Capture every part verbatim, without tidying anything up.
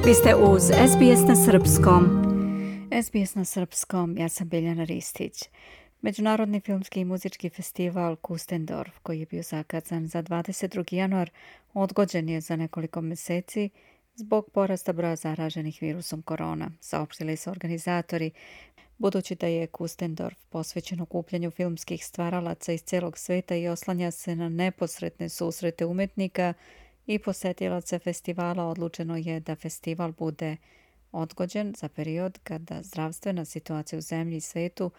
Vi ste uz S B S na srpskom. S B S na srpskom, ja sam Biljana Ristić. Međunarodni filmski i muzički festival Kustendorf, koji je bio zakazan za dvadeset drugi januar, odgođen je za nekoliko mjeseci zbog porasta broja zaraženih virusom korona, saopštili su organizatori. Budući da je Kustendorf posvećen okupljanju filmskih stvaralaca iz celog sveta i oslanja se na neposredne susrete umetnika i posetilaca festivala, odlučeno je da festival bude odgođen za period kada zdravstvena situacija u zemlji i svetu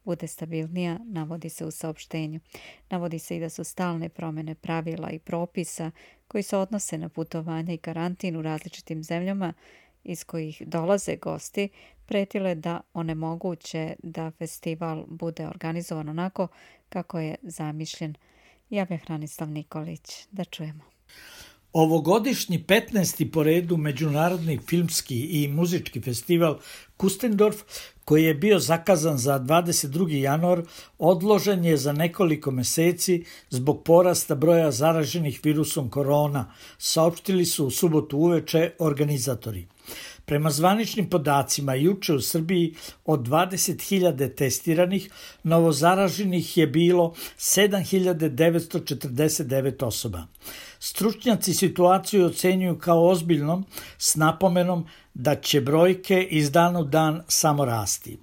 bude stabilnija, navodi se u saopštenju. Navodi se i da su stalne promjene pravila i propisa koji se odnose na putovanje i karantin u različitim zemljama iz kojih dolaze gosti, pretile da onemoguće da festival bude organizovan onako kako je zamišljen. Javlja Hranislav Nikolić. Da čujemo. Ovogodišnji petnaesti po redu međunarodni filmski i muzički festival Kustendorf, koji je bio zakazan za dvadeset drugi januar, odložen je za nekoliko mjeseci zbog porasta broja zaraženih virusom korona, saopštili su u subotu uveče organizatori. Prema zvaničnim podacima, juče u Srbiji od dvadeset hiljada testiranih, novozaraženih je bilo sedam hiljada devetsto četrdeset devet osoba. Stručnjaci situaciju ocenjuju kao ozbiljnom, s napomenom da će brojke iz dana u dan samo rasti.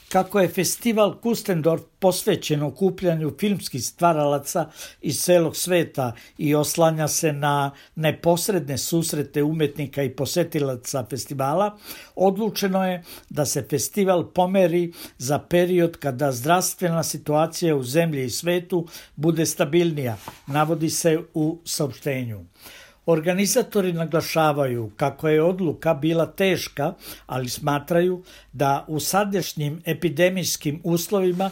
Kako je festival Kustendorf posvećen okupljanju filmskih stvaralaca iz celog sveta i oslanja se na neposredne susrete umetnika i posetilaca festivala, odlučeno je da se festival pomeri za period kada zdravstvena situacija u zemlji i svetu bude stabilnija, navodi se u saopštenju. Organizatori naglašavaju kako je odluka bila teška, ali smatraju da u sadašnjim epidemijskim uslovima,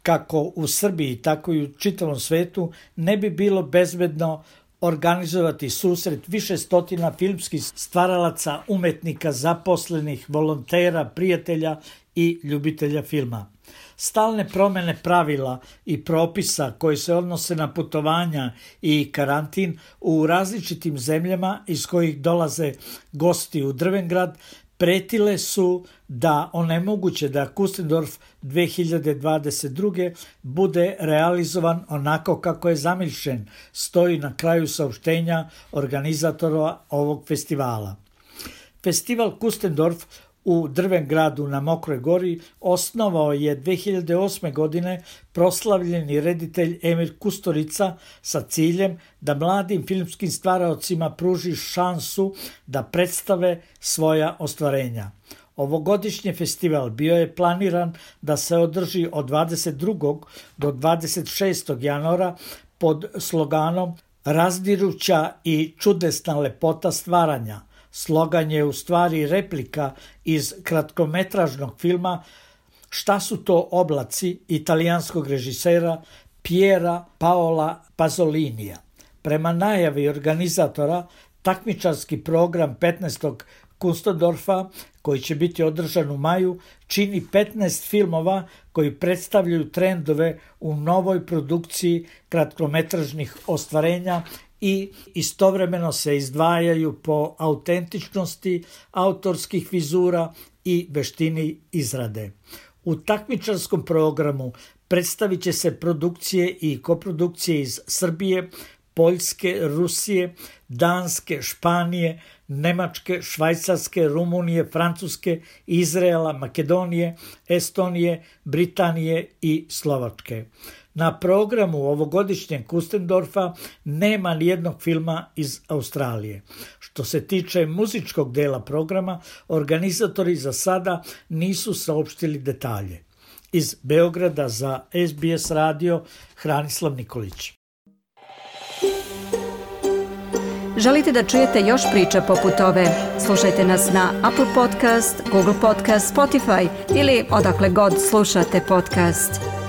kako u Srbiji, tako i u čitavom svetu, ne bi bilo bezbedno organizovati susret više stotina filmskih stvaralaca, umetnika, zaposlenih, volontera, prijatelja i ljubitelja filma. Stalne promjene pravila i propisa koji se odnose na putovanja i karantin u različitim zemljama iz kojih dolaze gosti u Drvengrad pretile su da onemoguće da Kustendorf dve hiljade dvadeset druge bude realizovan onako kako je zamišljen, stoji na kraju saopštenja organizatora ovog festivala. Festival Kustendorf u Drvengradu na Mokroj gori osnovao je dve hiljade osme. godine proslavljeni reditelj Emir Kusturica sa ciljem da mladim filmskim stvaraocima pruži šansu da predstave svoja ostvarenja. Ovogodišnji festival bio je planiran da se održi od dvadeset drugog do dvadeset šestog januara pod sloganom Razdiruća i čudesna lepota stvaranja. Slogan je u stvari replika iz kratkometražnog filma Šta su to oblaci italijanskog režisera Piera Paola Pazolinija. Prema najavi organizatora, takmičarski program petnaestog Kustendorfa, koji će biti održan u maju, čini petnaest filmova koji predstavljaju trendove u novoj produkciji kratkometražnih ostvarenja i istovremeno se izdvajaju po autentičnosti autorskih vizura i veštini izrade. U takmičarskom programu predstavit će se produkcije i koprodukcije iz Srbije, Poljske, Rusije, Danske, Španije, Nemačke, Švajcarske, Rumunije, Francuske, Izraela, Makedonije, Estonije, Britanije i Slovačke. Na programu ovogodišnjeg Kustendorfa nema nijednog filma iz Australije. Što se tiče muzičkog dela programa, organizatori za sada nisu saopštili detalje. Iz Beograda za S B S radio, Hranislav Nikolić. Želite da čujete još priča poput ove? Slušajte nas na Apple Podcast, Google Podcast, Spotify ili odakle god slušate podcast.